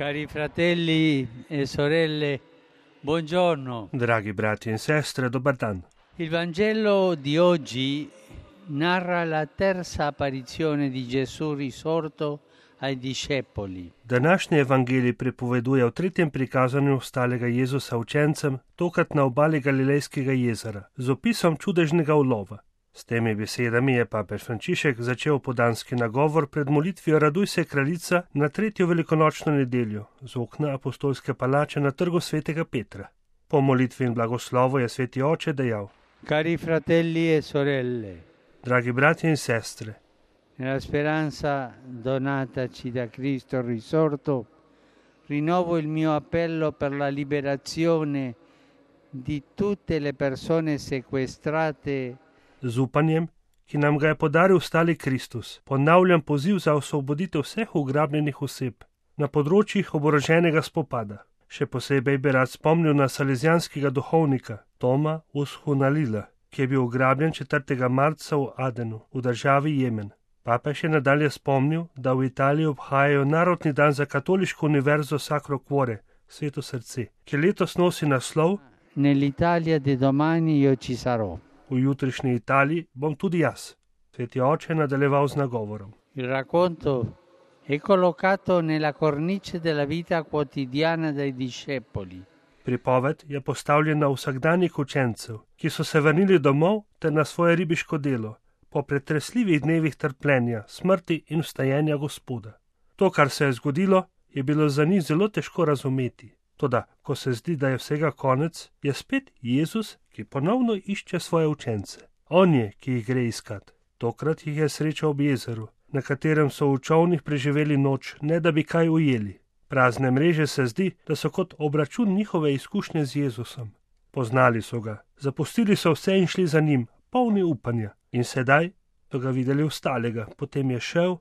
Cari fratelli e sorelle, buongiorno. Dragi brati in sestre, dobar dan. Il Vangelo di oggi narra la terza apparizione di Gesù risorto ai discepoli. Današnji evangelij pripoveduje o tretjem prikazanju ostalega Jezusa učencem, tokrat na obali Galilejskega jezera, z opisom čudežnega ulova. S temi besedami je papež Frančišek začel podanski nagovor pred molitvijo Raduj se kraljica na tretjo velikonočno nedeljo z okna apostolske palače na trgu svetega Petra. Po molitvi in blagoslovu je sveti oče dejal: Cari fratelli e sorelle, dragi brati in sestre, nella speranza donataci da Cristo risorto, rinnovo il mio appello per la liberazione di tutte le persone sequestrate. Z upanjem, ki nam ga je podaril stali Kristus, ponavljam poziv za osvoboditev vseh ugrabljenih oseb na področjih oboroženega spopada. Še posebej bi rad spomnil na salezijanskega duhovnika Toma Ushunalila, ki je bil ugrabljen 4. marca v Adenu, v državi Jemen. Papež je nadalje spomnil, da v Italiji obhajajo narodni dan za katoliško univerzo Sacro Cuore, Sveto srce, ki letos nosi naslov Nell'Italia di domani io ci sarò. V jutrišnji Italiji bom tudi jaz. Sveti oče je nadaljeval z nagovorom. Il racconto è collocato nella cornice della vita quotidiana dei discepoli. Pripoved je postavljena v vsakdanjih učencev, ki so se vrnili domov ter na svoje ribiško delo, po pretresljivih dnevih trpljenja, smrti in vstajenja Gospoda. To, kar se je zgodilo, je bilo za njih zelo težko razumeti. Toda, ko se zdi, da je vsega konec, je spet Jezus, ki ponovno išče svoje učence. On je, ki jih gre iskat. Tokrat jih je srečal ob jezeru, na katerem so v čolnih preživeli noč, ne da bi kaj ujeli. Prazne mreže se zdi, da so kot obračun njihove izkušnje z Jezusom. Poznali so ga, zapustili so vse in šli za njim, polni upanja. In sedaj so ga videli ostalega, potem je šel,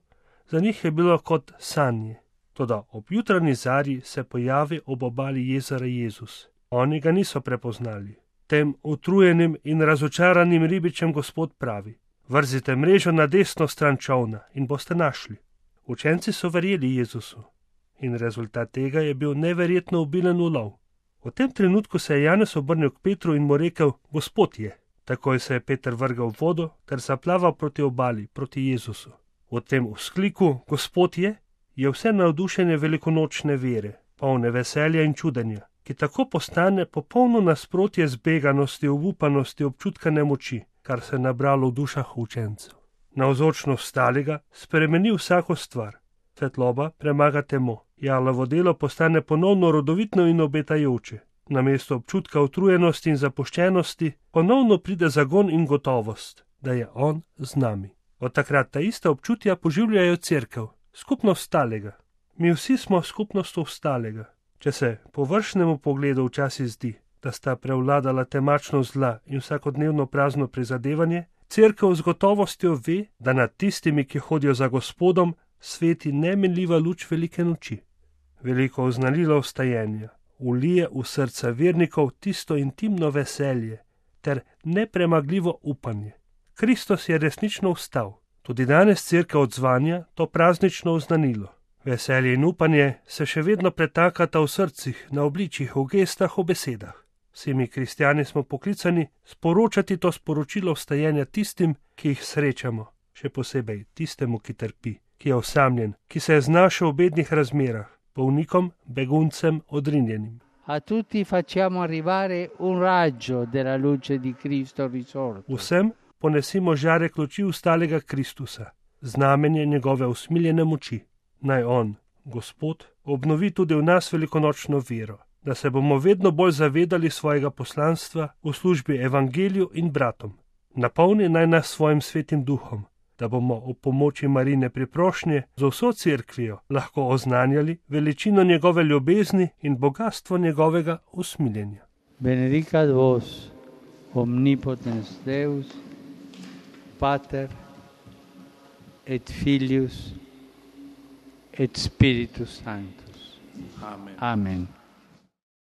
za njih je bilo kot sanje. Toda ob jutranji zarji se pojavi ob obali jezera Jezus. Oni ga niso prepoznali. Tem utrujenim in razočaranim ribičem Gospod pravi: vrzite mrežo na desno stran čolna in boste našli. Učenci so verjeli Jezusu in rezultat tega je bil neverjetno obilen ulov. V tem trenutku se je Janez obrnil k Petru in mu rekel: Gospod je. Takoj se je Peter vrgel v vodo ter zaplaval proti obali, proti Jezusu. V tem vzkliku Gospod je vse navdušenje velikonočne vere, polne veselja in čudenja, ki tako postane popolno nasprotje zbeganosti, obupanosti, občutka nemoči, kar se je nabralo v dušah učencev. Navzočnost stalega spremeni vsako stvar. Svetloba premaga temo. Jalovo delo postane ponovno rodovitno in obetajoče. Namesto občutka utrujenosti in zapuščenosti ponovno pride zagon in gotovost, da je on z nami. Od takrat ta ista občutja poživljajo cerkev, skupnost stalega. Mi vsi smo skupnost ostalega. Če se po vršnemu pogledu včasih zdi, da sta prevladala temačnost zla in vsakodnevno prazno prizadevanje, cerkev z gotovostjo ve, da nad tistimi, ki hodijo za Gospodom, sveti nemenljiva luč velike noči. Veliko oznanilo vstajenja ulije v srca vernikov tisto intimno veselje ter nepremagljivo upanje. Kristus je resnično vstal. Tudi danes cerkev odzvanja to praznično oznanilo. Veselje in upanje se še vedno pretakata v srcih, na obličjih, v gestah, v besedah. Vsi mi kristjani smo poklicani sporočati to sporočilo vstajenja tistim, ki jih srečamo, še posebej tistemu, ki trpi, ki je osamljen, ki se je znašel v bednih razmerah, bolnikom, beguncem, odrinjenim. A tutti facciamo arrivare un raggio della luce di Cristo risorto. Vsem ponesimo žarek luči vstalega Kristusa, znamenje njegove usmiljene moči. Naj on, Gospod, obnovi tudi v nas velikonočno vero, da se bomo vedno bolj zavedali svojega poslanstva v službi evangeliju in bratom. Napolni naj nas svojim svetim duhom, da bomo ob pomoči Marine priprošnje z vso cerkvijo lahko oznanjali veličino njegove ljubezni in bogatstvo njegovega usmiljenja. Benedicat vos, omnipotens Deus, Pater et Filius et Spiritus Sanctus. Amen. Amen.